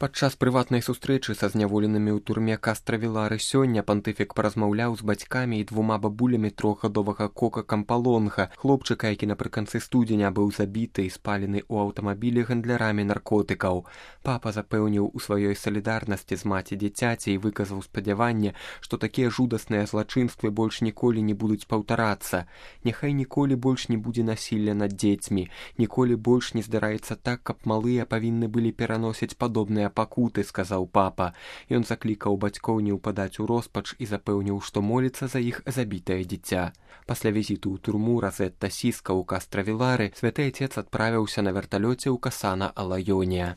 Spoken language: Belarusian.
Падчас прыватнай сустрэчы са зняволенымі ў турме Кастравілары сёння пантыфік паразмаўляў з бацькамі і двума бабулямі трохгадовага Кока Кампалонга, хлопчыка, які напрыканцы студзеня быў забіты і спалены ў аўтамабілі гандлярамі наркотыкаў. Папа запэўніў у сваёй салідарнасці з маці дзіцяці і выказаў спадзяванне, што такія жудасныя злачынствы больш ніколі не будуць паўтарацца. Няхай ніколі больш не будзе насілля над дзецьмі, ніколі больш не здараецца так, каб малыя павінны былі пераносіць падобныя пакуты, сказаў папа. Ён заклікаў бацькоў не ўпадаць у роспач і запэўніў, што моліцца за іх забітае дзіця. Пасля візіту ў турму Розетта Сіска ў Кастравілары святы Отец адправіўся на верталёце ў Касана-Алайоне.